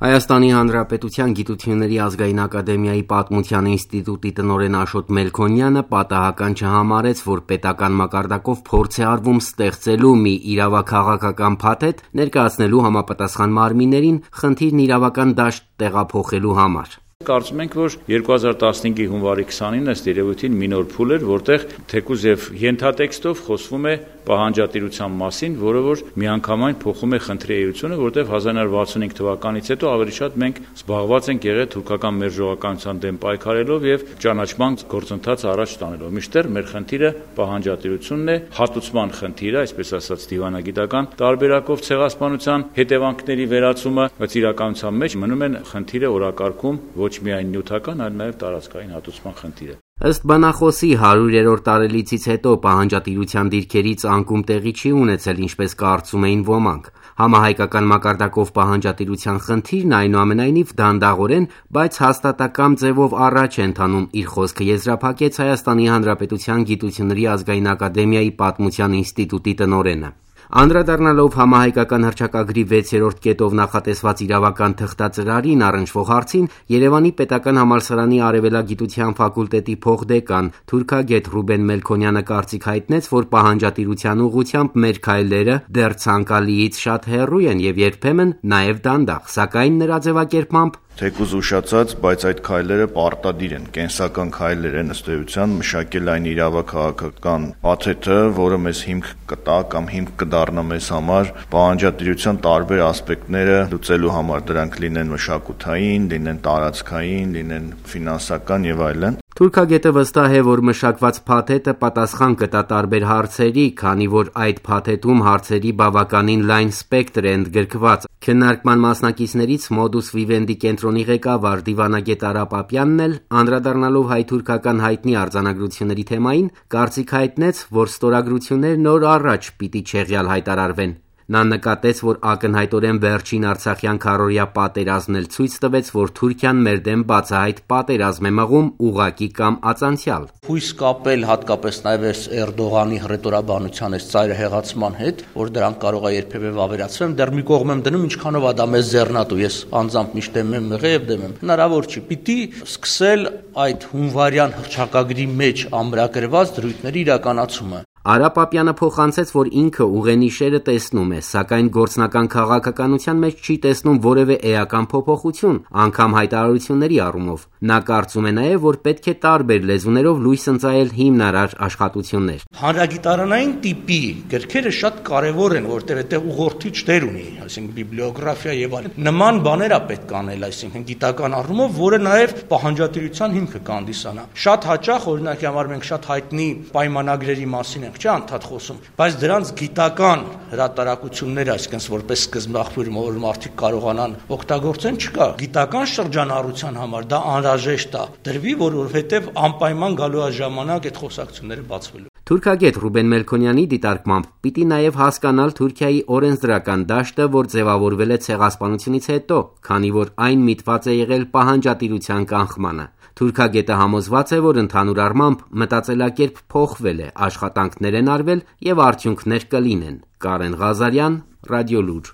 Հայաստանի Հանրապետության Գիտությունների ազգային ակադեմիայի Պատմության ինստիտուտի տնօրեն Աշոտ Մելքոնյանը պատահական չհամարեց, որ պետական մակարդակով փորձ է արվում ստեղծելու մի իրավաքաղաքական փաթեթ ներկայացնելու համապատասխան մարմիններին խնդիրն իրավական դաշտ տեղափոխելու համար։ Կարծում ենք, որ 2015-ի հունվարի 29-ը ըստ երևույթին մի նոր փուլ էր, որտեղ թեկուզ եւ ենթատեքստով խոսվում է պահանջատիրության մասին, որը որ միանգամայն փոխում է խնդրի էությունը, որտեղ 1965 թվականից հետո ավելի շատ մենք զբաղված ենք եղել թուրքական մերժողականության դեմ պայքարելով եւ ճանաչման գործընթաց առաջ տանելով։ Մինչդեռ մեր խնդիրը պահանջատիրությունն է, հատուցման խնդիրը, այսպես ասած դիվանագիտական տարբերակով ցեղասպանության հետևանքների վերացումը, բայց իրականության մեջ մնում են խնդիրը օրակարգում ոչ միայն նյութական, այլ նաև տարածքային հատուցման խնդիրը։ Ըստ բանախոսի 100-րդ տարելիցից հետո պահանջատիրության դիրքերից անկում տեղի չի ունեցել, ինչպես կարծում էին ոմանք։ Համահայկական մակարդակով պահանջատիրության խնդիրն այնուամենայնիվ դանդաղորեն, բայց հաստատակամ ձևով առաջ է ընթանում, իր խոսքը եզրափակեց Հայաստանի Հանրապետության Գիտությունների ազգային ակադեմիայի Պատմության ինստիտուտի տնօրենը։ Անդրադառնալով համահայկական հռչակագրի 6-րդ կետով նախատեսված իրավական թղթածրարին առնչվող հարցին, Երևանի պետական համալսարանի արևելագիտության ֆակուլտետի փոխդեկան թուրքագետ Ռուբեն Մելքոնյանը կարծիք հայտնեց, որ պահանջատիրության ուղղությամբ մեր քայլերը դեռ ցանկալիից շատ հեռու են եւ երբեմն նաեւ դանդաղ, սակայն նրա ձևակերպմամբ թեկուզ ուշացած, բայց այդ քայլերը պարտադիր են, կենսական քայլեր են ըստ էության մշակել այն իրավաքաղաքական փաթեթը, որը մեզ հիմք կտա կամ հիմք կդառնա մեզ համար պահանջատիրության տարբեր ասպեկտները լուծելու համար, դրանք լինեն մշակութային, լինեն տարածքային, լինեն ֆինանսական եւ այլն։ Թուրքագետը վստահ է, որ մշակված փաթեթը պատասխան կտա տարբեր հարցերի, քանի որ այդ փաթեթում հարցերի բավականին լայն սպեկտր է ընդգրկված։ Քննարկման մասնակիցներից Modus Vivendi կենտրոնի ղեկավար դիվանագետ Արա Պապյանն էլ, անդրադառնալով հայ-թուրքական հայտնի արձանագրությունների թեմային, կարծիք հայտնեց, որ ստորագրություններն օր առաջ պիտի չեղյալ հայտարարվեն։ Նա նկատեց, որ ակնհայտորեն վերջին Արցախյան քառօրյա պատերազմն էլ ցույց տվեց, որ Թուրքիան մեր դեմ բացահայտ պատերազմ է մղում ուղղակի կամ ածանցյալ։ Հույս կապել հատկապես նաև Էրդողանի հռետորաբանության ծայրահեղացման հետ, որ դրանք կարող է երբևէ վավերացվեն, դեռ մի կողմ եմ դնում, ինչքանով է դա մեզ ձեռնատու, ես անձամբ միշտ դեմ եմ եղել եւ դեմ եմ։ Հնարավոր չի, պիտի սկսել այդ հունվարյան հռչակագրի մեջ ամրագրված դրույթների իրականացումը։ Արա Պապյանը փոխանցեց, որ ինքը ուղենիշերը տեսնում է, սակայն գործնական քաղաքականության մեջ չի տեսնում որևէ էական փոփոխություն, անգամ հայտարարությունների առումով։ Նա կարծում է նաև, որ պետք է տարբեր լեզուներով լույս ընծայել հիմնարար աշխատություններ։ Հանրագիտարանային տիպի գրքերը շատ կարևոր են, որտեղ այդտեղ ուղղորդիչ դեր ունի, այսինքն բիբլիոգրաֆիա եւ այլն։ Նման բաներ է պետք անել, այսինքն գիտական առումով, որը նաև պահանջատիրության հիմքը կհանդիսանա։ Շատ հաճախ, օրինակի համար մենք շատ հայտնի պայմանագրերի մասին չէ անդադ խոսում, բայց դրանց գիտական հրատարակությունները, այսինքն որպես սկզբնաղբյուր, որ մարդիկ կարողանան օգտագործեն, չկա։ Գիտական շրջանառության համար դա անհրաժեշտ է, դրվի, որովհետև անպայման գալու է ժամանակ այդ խոսակցությունները բացվելու։ Թուրքագետ Ռուբեն Մելքոնյանի դիտարկմամբ պիտի նաև հասկանալ Թուրքիայի օրենսդրական դաշտը, որ ձևավորվել է ցեղասպանությունից հետո, քանի որ այն միտված է եղել պահանջատիրության կանխմանը։ Թուրքագետը համոզված է, որ ընդհանուր առմամբ մտածելակերպ փոխվել է, աշխատանքներ են արվել եւ արդյունքներ կլինեն։ Կարեն Ղազարյան, Ռադիոլուր։